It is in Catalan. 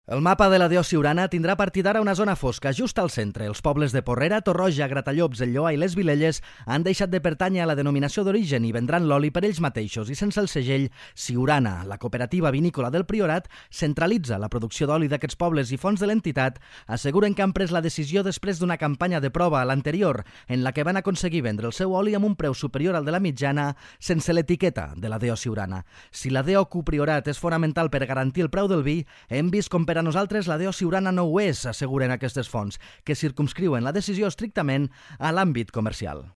El mapa de la DO Siurana tindrà a partir d'ara una zona fosca just al centre. Els pobles de Porrera, Torroja, Gratallops, El Lloar i les Vilelles han deixat de pertànyer a la denominació d'origen i vendran l'oli per ells mateixos i sense el segell Siurana. La cooperativa vinícola del Priorat centralitza la producció d'oli d'aquests pobles i fons de l'entitat asseguren que han pres la decisió després d'una campanya de prova a l'anterior en la que van aconseguir vendre el seu oli amb un preu superior al de la mitjana sense l'etiqueta de la DO Siurana. Si la DO Priorat és fonamental per garantir el preu del vi, hem vist com per a nosaltres la DO Siurana no ho és, asseguren aquestes fonts, que circumscriuen la decisió estrictament a l'àmbit comercial.